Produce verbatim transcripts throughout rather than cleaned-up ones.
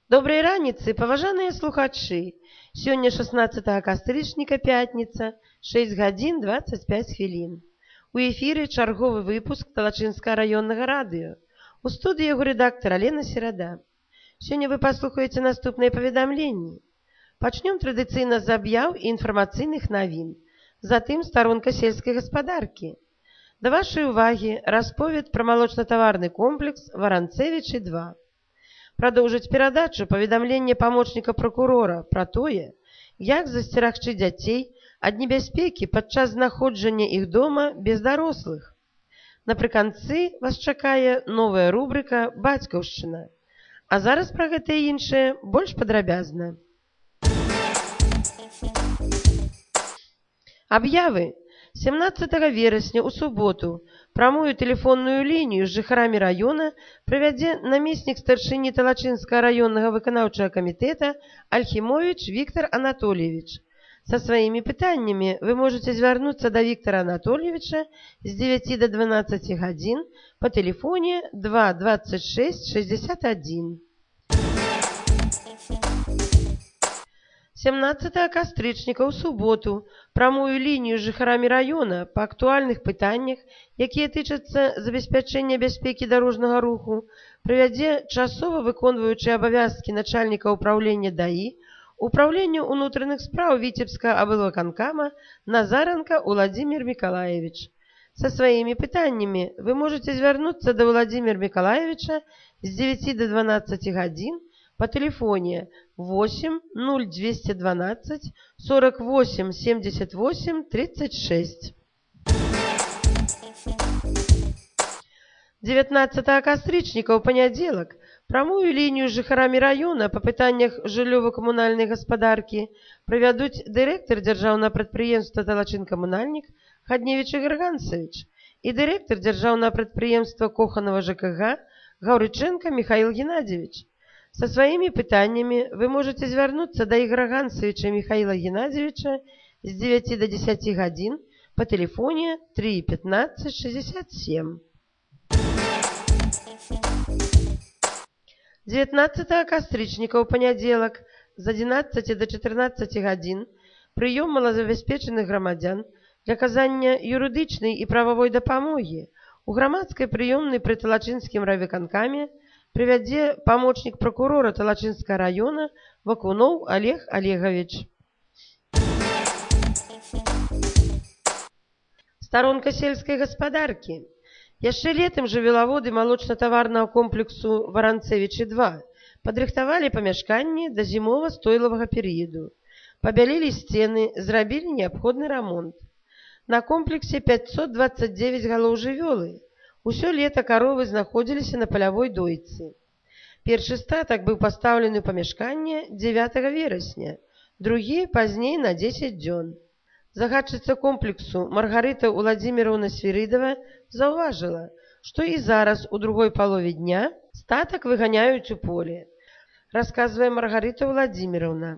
Добрай раніцы, паважаныя слухачы! Сёння шаснаццатага кастрычніка, пятніца, шэсць гадзін дваццаць пяць хвілін. У эфіры чарговы выпуск Талачынскага раённага радыё. У студыі яго рэдактар Алена Серада. Сёння вы паслухаеце наступныя паведамленні. Пачнём традыцыйна з аб'яў і інфармацыйных навін. Затым старонка сельскай гаспадаркі. Да вашай увагі расповед пра малочна-таварны комплекс Варанцевічы два. Продолжить передачу поведомление помощника прокурора про тое, як засцерагчы дзяцей ад небяспекі падчас знаходжання іх дома без дарослых. Напрыканцы вас чакае новая рубрика «Бацькаўшчына». А зараз пра гэта і іншае больш падрабязна. Аб'явы. семнадцатага верасня у суботу прамую тэлефонную лінію з жыхарамі раёна правядзе намеснік старшыні Талачынскага раённага выканаўчага камітэта Альхімовіч Віктор Анатольевич. Са сваімі пытаннямі вы можете звярнуцца да Віктора Анатольевича з дзевяці да дванаццаці гадзін па тэлефоне два дваццаць шэсць шэсцьдзесят адзін. семнадцатага кастрычніка ў суботу прамую лінію з жыхарамі раёна па актуальных пытаннях, якія тычацца забеспячэння бяспекі дарожнага руху, правядзе часова выконваючы абавязкі начальніка ўпраўлення ДАІ Управлення ўнутраных спраў Віцебскага аблвыканкама Назаранка Уладзімір Мікалаевич. Са сваімі пытаннямі вы можете звярнуцца да Уладзіміра Мікалаевича з дзевяці да дванаццаці гадзін по телефоне восемь ноль двести двенадцать сорок восемь семьдесят восемь тридцать шесть. девятнадцатага кастрычніка ў панядзелак прамую лінію з жыхарамі раёна па пытаннях жыллёва-камунальнай гаспадаркі правядуць дырэктар дзяржаўнага прадпрыемства «Талачынкамунальнік» Хадневіч Ігор Гансавіч і дырэктар дзяржаўнага прадпрыемства Коханова ЖКГ Гаўрыченка Михаил Геннадьевич. Со сваімі пытаннямі вы можете звярнуцца да Ігора Гансавіча Михаила Геннадьевича з дзевяці да дзесяці гадзін по телефоне три пятнадцать шестьдесят семь. дзевятнаццатага кастрычніка ў панядзелак з адзінаццаці да чатырнаццаці гадзін прыём малазабяспечаных грамадзян для аказання юрыдычнай і прававой дапамогі у грамадскай прыёмнай пры Талачынскім райвыканкаме привядзе помощник прокурора Талачынскага района Вакунов Олег Олегович. Сторонка сельской гаспадаркі. Яшчэ летом жывёлаводы малочна-таварнага комплексу Варанцевічы два падрыхтавалі памяшканні да зімова-стойлавага перыяду. Пабялілі сцены, зрабілі неабходны рамонт. На комплексе пятьсот двадцать девять галоў жывёлы. Усё лета каровы знаходзіліся на палявой дойцы. Першы статак быў пастаўлены ў памяшканне дзевятага верасня, другі пазней на дзесяць дзён. Загадчыца комплексу Маргарыта Уладзіміраўна Свірыдава заўважыла, што і зараз у другой палове дня статак выганяюць у поле. Расказвае Маргарита Уладзіміраўна.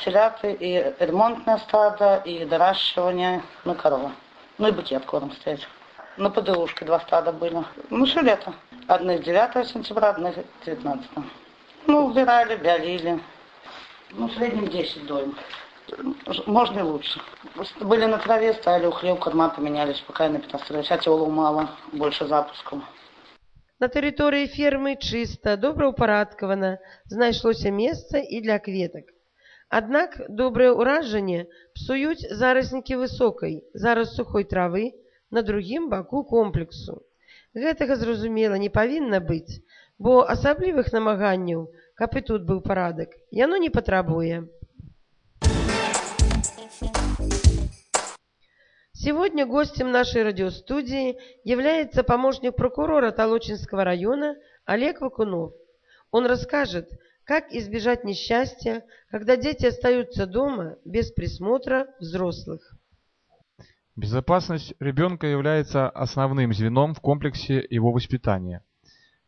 Селяты и ремонтное стадо, и доращивание, ну, корова. Ну и букет корм стоять. На ПДУшке два стада были. Ну, все лето. Одних девятого сентября, одних девятнадцатого. Ну, убирали, бялили. Ну, в среднем десять доем. Можно и лучше. Были на траве, стояли у хлеб, корма поменялись, пока я на пятнадцать. Сейчас улов мало, больше запусков. На тэрыторыі фермы чыста, добраўпарадкавана, знайшлося месца і для кветак. Аднак добрае ўражанне псуюць зараснікі высокай, зараз сухой травы на другім баку комплексу. Гэтага, зразумела, не павінна быць, бо асаблівых намаганняў, каб і тут быў парадак, яно не патрабуе. Сегодня гостем нашей радиостудии является помощник прокурора Толочинского района Олег Вакунов. Он расскажет, как избежать несчастья, когда дети остаются дома без присмотра взрослых. Безопасность ребенка является основным звеном в комплексе его воспитания.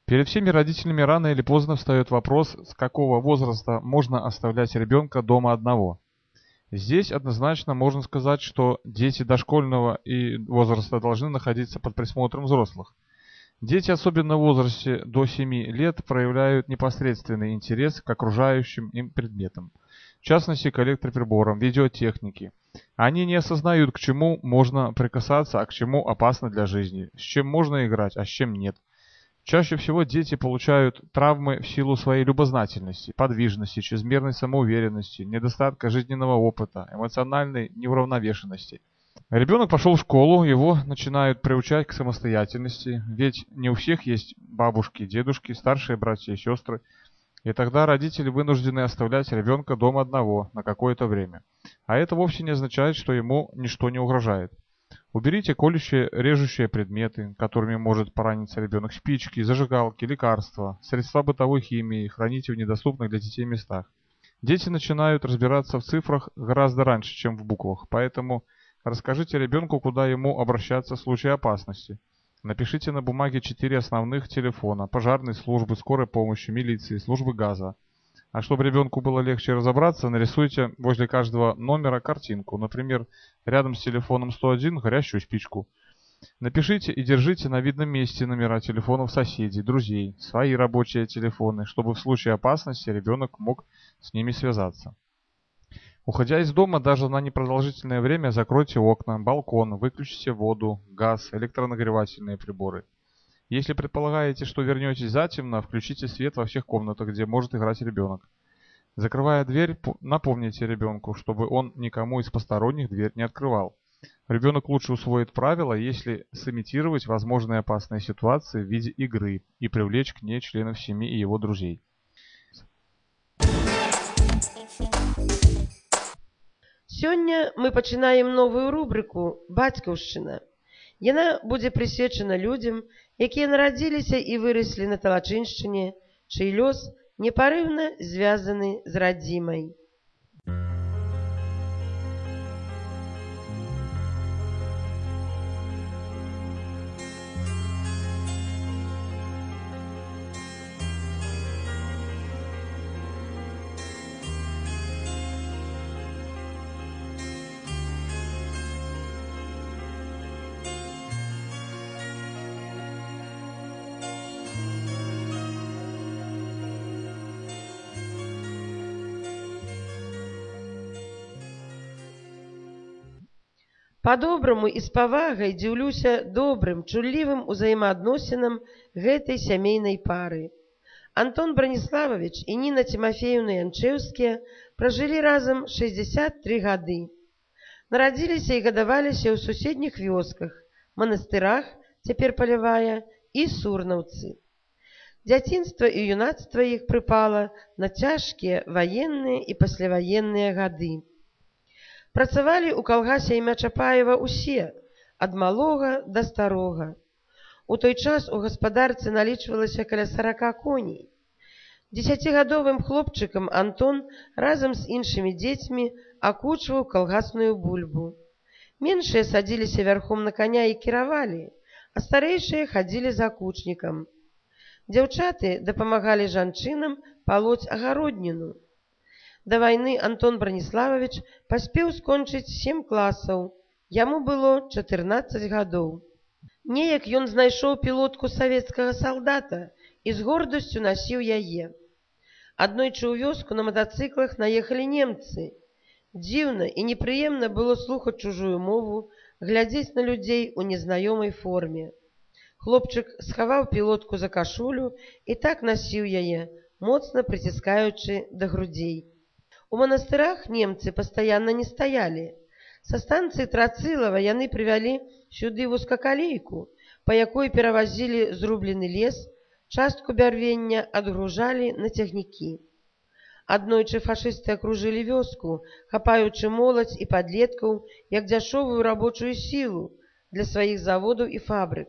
Перед всеми родителями рано или поздно встает вопрос, с какого возраста можно оставлять ребенка дома одного. Здесь однозначно можно сказать, что дети дошкольного и возраста должны находиться под присмотром взрослых. Дети, особенно в возрасте до семи лет, проявляют непосредственный интерес к окружающим им предметам, в частности к электроприборам, видеотехнике. Они не осознают, к чему можно прикасаться, а к чему опасно для жизни, с чем можно играть, а с чем нет. Чаще всего дети получают травмы в силу своей любознательности, подвижности, чрезмерной самоуверенности, недостатка жизненного опыта, эмоциональной неуравновешенности. Ребенок пошел в школу, его начинают приучать к самостоятельности, ведь не у всех есть бабушки, дедушки, старшие братья и сестры, и тогда родители вынуждены оставлять ребенка дома одного на какое-то время. А это вовсе не означает, что ему ничто не угрожает. Уберите колющие, режущие предметы, которыми может пораниться ребенок, спички, зажигалки, лекарства, средства бытовой химии, храните в недоступных для детей местах. Дети начинают разбираться в цифрах гораздо раньше, чем в буквах, поэтому расскажите ребенку, куда ему обращаться в случае опасности. Напишите на бумаге четыре основных телефона: пожарной службы, скорой помощи, милиции, службы газа. А чтобы ребенку было легче разобраться, нарисуйте возле каждого номера картинку. Например, рядом с телефоном сто один горящую спичку. Напишите и держите на видном месте номера телефонов соседей, друзей, свои рабочие телефоны, чтобы в случае опасности ребенок мог с ними связаться. Уходя из дома, даже на непродолжительное время закройте окна, балкон, выключите воду, газ, электронагревательные приборы. Если предполагаете, что вернетесь затемно, включите свет во всех комнатах, где может играть ребенок. Закрывая дверь, напомните ребенку, чтобы он никому из посторонних дверь не открывал. Ребенок лучше усвоит правила, если сымитировать возможные опасные ситуации в виде игры и привлечь к ней членов семьи и его друзей. Сёння мы пачынаем новую рубрыку «Бацькаўшчына». Яна будзе прысвечана людзям, якія нарадзіліся і выраслі на Талачыншчыне, чый лёс непарыўна звязаны з радзімай. Па-добраму і з павагай дзіўлюся добрым, чуллівым узаемаадносінам гэтай сямейнай пары. Антон Браніслававіч і Ніна Тимофеевна Янчэўскія пражылі разам шэсцьдзесят тры гады. Нарадзіліся і гадаваліся ў суседніх вёсках, манастырах, цяпер Палявая, і Сурнаўцы. Дзяцінства і юнацтва іх прыпала на цяжкія ваенныя і пасляваенныя гады. Працавалі ў калгасе імя Чапаева ўсе, ад малога да старога. У той час у гаспадарцы налічвалася каля сарака коней. Дзесяцігадовым хлопчыкам Антон разам з іншымі дзецьмі акучваў калгасную бульбу. Меншыя садзіліся вярхом на коня і кіравалі, а старэйшыя хадзілі за акучнікам. Дзяўчаты дапамагалі жанчынам палоць агародніну. Да вайны Антон Браніслававіч паспеў скончыць сем класаў, яму было чатырнаццаць гадоў. Неяк ён знайшоў пілотку савецкага салдата і з гордасцю насіў яе. Аднойчы ў вёску на матацыклах наехалі немцы. Дзіўна і непрыемна было слухаць чужую мову, глядзець на людзей у незнаёмай форме. Хлопчык схаваў пілотку за кашулю і так насіў яе, моцна прыціскаючы да грудзей. У манастырах немцы пастаянна не стаялі. Са станцыі Трацылава яны прывялі сюды вузкакалейку, па якой перавазілі зрублены лес, частку бярвення адгружалі на цягнікі. Аднойчы фашысты акружылі вёску, хапаючы моладзь і падлеткаў як дзяшовую рабочую сілу для сваіх заводаў і фабрык.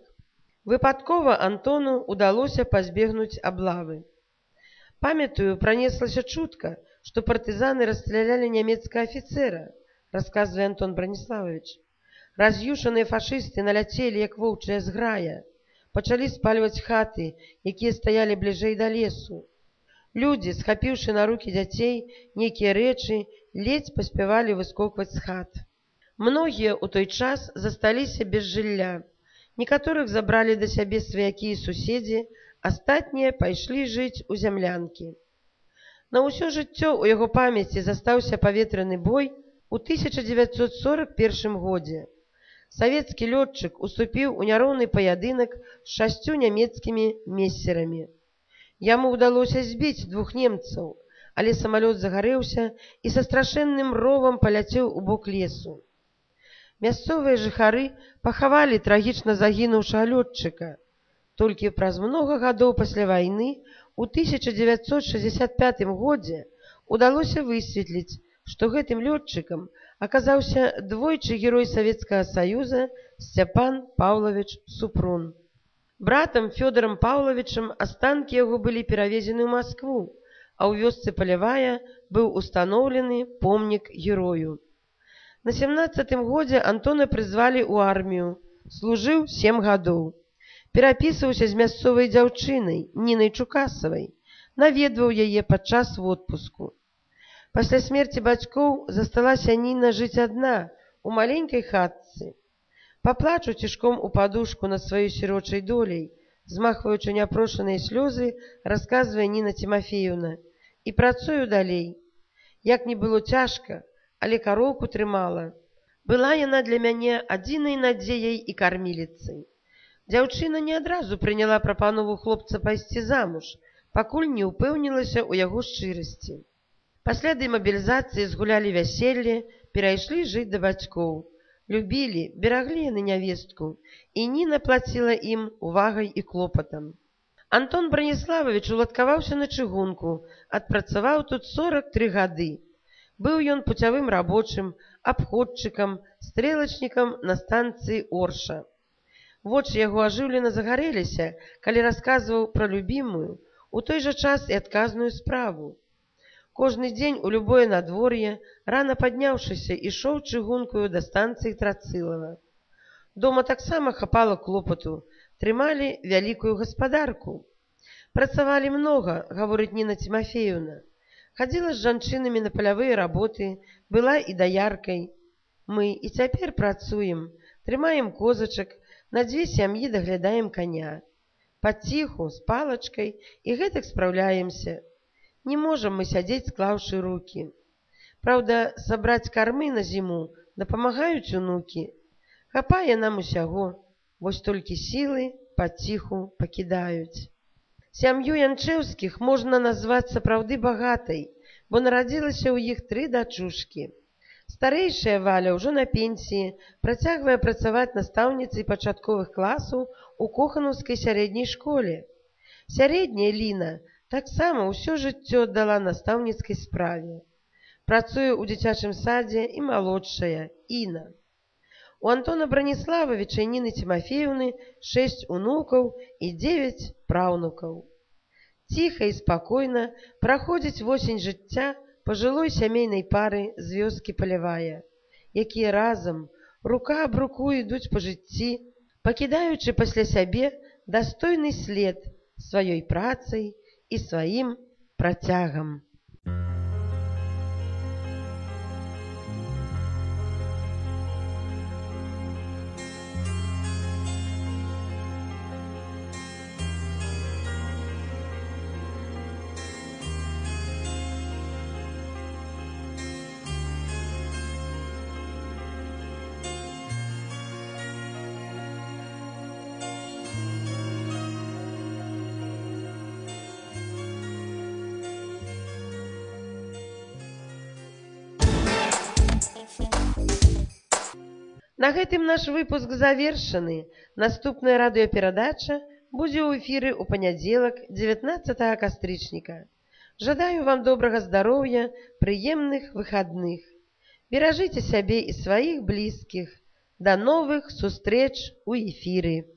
Выпадкова Антону удалося пазбегнуць аблавы. Памятаю, пранеслася чутка, што партызаны расстралялі нямецкага афіцэра, расказвае Антон Браніслававіч. Раз'юшаныя фашысты наляцелі, як воўчая зграя, пачалі спальваць хаты, якія стаялі бліжэй да лесу. Людзі, схапіўшы на рукі дзяцей нейкія рэчы, ледзь паспявалі выскокваць з хат. Многія ў той час засталіся без жылля. Некаторых забралі да сябе сваякі і суседзі, астатнія пайшлі жыць у зямлянкі. На ўсё жыццё ў яго памяці застаўся паветраны бой у тысяча дзевяцьсот сорак першым годзе. Савецкі лётчык уступіў у няроўны паядынак з шасцю нямецкімі мессерамі. Яму ўдалося збіць двух немцаў, але самалёт загарэўся і са страшэнным ровам паляцеў у бок лесу. Мясцовыя жыхары пахавалі трагічна загінуўшага лётчыка. Толькі праз многа гадоў пасля вайны у тысяча дзевяцьсот шэсцьдзесят пятым годзе удалося высветліць, што гэтым лётчыкам аказаўся двойчы герой Савецкага Саюза Сцяпан Паўлавіч Супрун. Братам Фёдорам Паўлавічам астанкі яго былі перавезены ў Маскву, а ў вёсцы Палявая быў устаноўлены помнік герою. На сямнаццатым годзе Антона прызвалі ў армію, служыў сем гадоў. Перапісваўся з мясцовай дзяўчынай Нінай Чукасавай, наведваў яе падчас водпуску. Пасля смерці бацькоў засталася Ніна жыць адна у маленькай хатцы. Паплачу цішком у падушку над сваёй сірочай доляй, змахваючы няпрошаныя слёзы, расказвае Ніна Тимофеевна, і працую далей. Як не было цяжка, але кароўку трымала. Была яна для мяне адзінай надзеяй і карміліцай. Дзяўчына не адразу прыняла прапанову хлопца пайсці замуж, пакуль не ўпэўнілася ў яго шчырасці. Пасля дэмабілізацыі згулялі вяселле, перайшлі жыць да бацькоў. Любілі, бераглі яны нявестку, і Ніна плаціла ім увагай і клопатам. Антон Браніславович уладкаваўся на чыгунку, адпрацаваў тут сорак тры гады. Быў ён пуцявым рабочым, абходчыкам, стрэлачнікам на станцыі Орша. Вочы яго ажыўлена загарэліся, калі расказваў пра любімую, у той жа час і адказную справу. Кожны дзень у любое надвор'е, рана падняўшыся, ішоў чыгункаю да станцыі Трацылава. Дома таксама хапала клопату, трымалі вялікую гаспадарку. Працавалі многа, гаворыць Ніна Тимофеевна. Хадзіла з жанчынамі на палявыя работы, была і даяркай. Мы і цяпер працуем, трымаем козачак, на дзве сям'і даглядаем каня. Паціху, з палачкай, і гэтак спраўляемся. Не можам мы сядзець, склаўшы рукі. Праўда, сабраць кармы на зіму дапамагаюць унукі. Хапае нам усяго, вось толькі сілы паціху пакідаюць. Сям'ю Янчэўскіх можна назваць сапраўды багатай, бо нарадзілася ў іх тры дачушкі. Старэйшая Валя ўжо на пенсіі, працягвае працаваць настаўніцай пачатковых класаў у Коханаўскай сярэдняй школе. Сярэдняя Ліна таксама ўсё жыццё аддала настаўніцкай справе. Працуе ў дзіцячым садзе і малодшая Іна. У Антона Браніславовича і Ніны Тимофеевны шэсць унукаў і дзевяць праўнукаў. Ціха і спакойна праходзіць восень жыцця пажылой сямейнай пары з вёскі Палявая, якія разам, рука аб руку ідуць па жыцці, пакідаючы пасля сябе дастойны след сваёй працай і сваім працягам. На гэтым наш выпуск завершаны. Наступная радыёперадача будзе ў эфіры ў панядзелак, дзевятнаццатага кастрычніка. Жадаю вам добрага здароўя, прыемных выхадных. Беражыце сябе і сваіх блізкіх. Да новых сустрэч у эфіры.